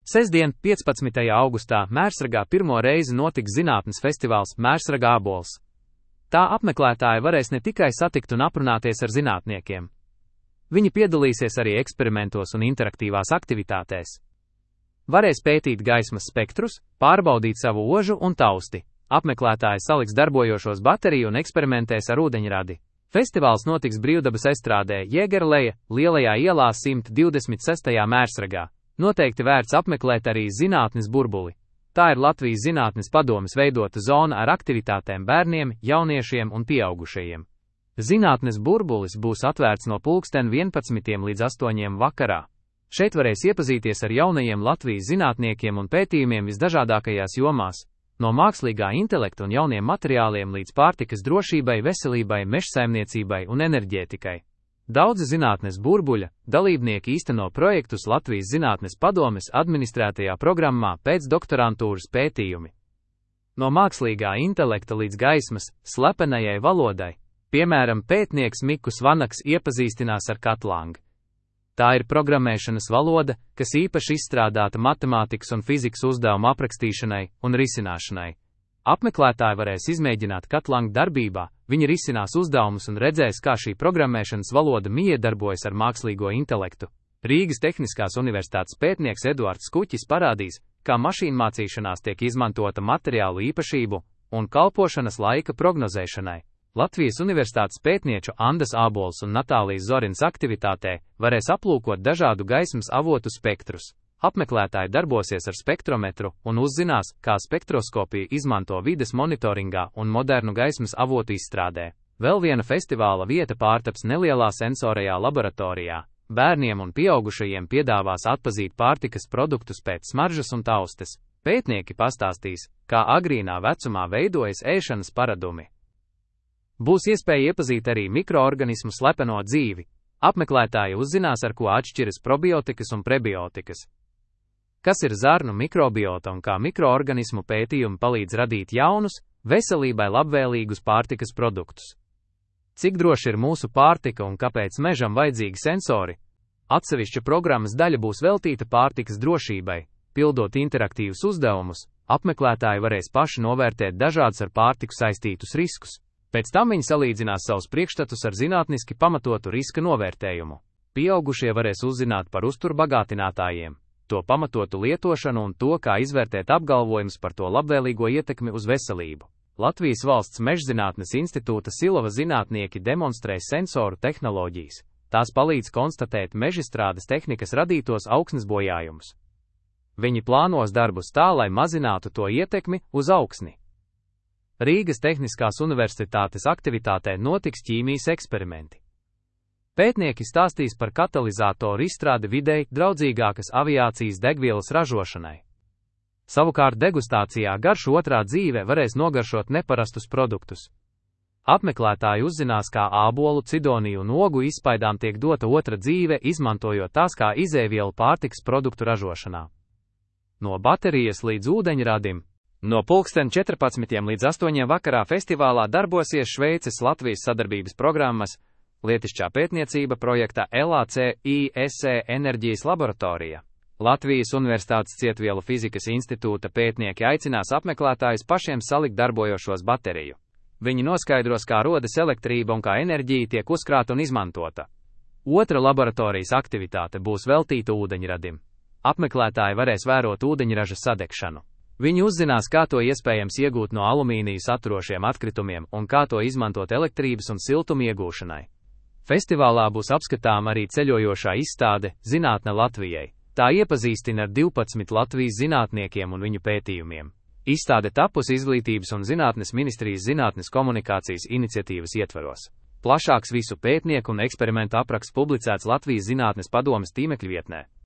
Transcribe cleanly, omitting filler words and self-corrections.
Sestdien, 15. augustā, Mērsragā pirmo reizi notiks zinātnes festivāls Mērsraga ābols. Tā apmeklētāji varēs ne tikai satikt un aprunāties ar zinātniekiem. Viņi piedalīsies arī eksperimentos un interaktīvās aktivitātēs. Varēs pētīt gaismas spektrus, pārbaudīt savu ožu un tausti. Apmeklētāji saliks darbojošos bateriju un eksperimentēs ar ūdeņradi. Festivāls notiks Brīvdabas estrādē Jēgerleja, Lielajā ielā 126. Mērsragā. Noteikti vērts apmeklēt arī zinātnes burbuli. Tā ir Latvijas Zinātnes padomes veidota zona ar aktivitātēm bērniem, jauniešiem un pieaugušajiem. Zinātnes burbulis būs atvērts no 11. līdz 8. vakarā. Šeit varēs iepazīties ar jaunajiem Latvijas zinātniekiem un pētījumiem visdažādākajās jomās, no mākslīgā intelekta un jauniem materiāliem līdz pārtikas drošībai, veselībai, mežsaimniecībai un enerģētikai. Daudzi zinātnes burbuļa dalībnieki īsteno projektus Latvijas Zinātnes padomes administrētajā programmā pēcdoktorantūras pētījumi. No mākslīgā intelekta līdz gaismas, slepenajai valodai, piemēram, pētnieks Mikus Vanaks iepazīstinās ar Katlang. Tā ir programmēšanas valoda, kas īpaši izstrādāta matemātikas un fizikas uzdevumu aprakstīšanai un risināšanai. Apmeklētāji varēs izmēģināt Katlang darbībā, viņi risinās uzdevumus un redzēs, kā šī programmēšanas valoda miedarbojas ar mākslīgo intelektu. Rīgas Tehniskās universitātes pētnieks Eduards Kuķis parādīs, kā mašīnmācīšanās tiek izmantota materiālu īpašību un kalpošanas laika prognozēšanai. Latvijas Universitātes pētnieču Andas Ābols un Natālijas Zorins aktivitātē varēs aplūkot dažādu gaismas avotu spektrus. Apmeklētāji darbosies ar spektrometru un uzzinās, kā spektroskopiju izmanto vides monitoringā un modernu gaismas avotu izstrādē. Vēl viena festivāla vieta pārtaps nelielā sensorajā laboratorijā. Bērniem un pieaugušajiem piedāvās atpazīt pārtikas produktus pēc smaržas un taustes. Pētnieki pastāstīs, kā agrīnā vecumā veidojas ēšanas paradumi. Būs iespēja iepazīt arī mikroorganismu slepeno dzīvi. Apmeklētāji uzzinās, ar ko atšķiras probiotikas un prebiotikas. Kas ir zarnu mikrobiota un kā mikroorganismu pētījumi palīdz radīt jaunus, veselībai labvēlīgus pārtikas produktus. Cik droši ir mūsu pārtika un kāpēc mežam vajadzīgi sensori? Atsevišķa programmas daļa būs veltīta pārtikas drošībai. Pildot interaktīvus uzdevumus, apmeklētāji varēs paši novērtēt dažādus ar pārtiku saistītus riskus. Pēc tam viņi salīdzinās savus priekšstatus ar zinātniski pamatotu riska novērtējumu. Pieaugušie varēs uzzināt par uzturbagātinātājiem, to pamatotu lietošanu un to, kā izvērtēt apgalvojumus par to labvēlīgo ietekmi uz veselību. Latvijas Valsts Mežzinātnes institūta Silava zinātnieki demonstrēs sensoru tehnoloģijas. Tās palīdz konstatēt mežstrādes tehnikas radītos augsnes bojājumus. Viņi plānos darbus tā, lai mazinātu to ietekmi uz augsni. Rīgas Tehniskās universitātes aktivitātē notiks ķīmijas eksperimenti. Pētnieki stāstīs par katalizatoru izstrādi videi draudzīgākas aviācijas degvielas ražošanai. Savukārt degustācijā garšu otrā dzīve varēs nogaršot neparastus produktus. Apmeklētāji uzzinās, kā ābolu, cidoniju un ogu izspaidām tiek dota otra dzīve, izmantojot tās kā izēvielu pārtikas produktu ražošanā. No baterijas līdz ūdeņradim. No 14. līdz 8. vakarā festivālā darbosies Šveices Latvijas sadarbības programmas Lietišķā pētniecība projekta LACISE enerģijas laboratorija. Latvijas Universitātes Cietvielu fizikas institūta pētnieki aicinās apmeklētājus pašiem salikt darbojošos bateriju. Viņi noskaidros, kā rodas elektrība un kā enerģija tiek uzkrāta un izmantota. Otra laboratorijas aktivitāte būs veltīta ūdeņradim. Apmeklētāji varēs vērot ūdeņraža sadegšanu. Viņi uzzinās, kā to iespējams iegūt no alumīnija saturošiem atkritumiem un kā to izmantot elektrības un siltuma iegūšanai. Festivālā būs apskatām arī ceļojošā izstāde Zinātne Latvijai. Tā iepazīstina ar 12 Latvijas zinātniekiem un viņu pētījumiem. Izstāde tapusi Izglītības un zinātnes ministrijas zinātnes komunikācijas iniciatīvas ietvaros. Plašāks visu pētnieku un eksperimentu apraksts publicēts Latvijas Zinātnes padomes tīmekļa vietnē.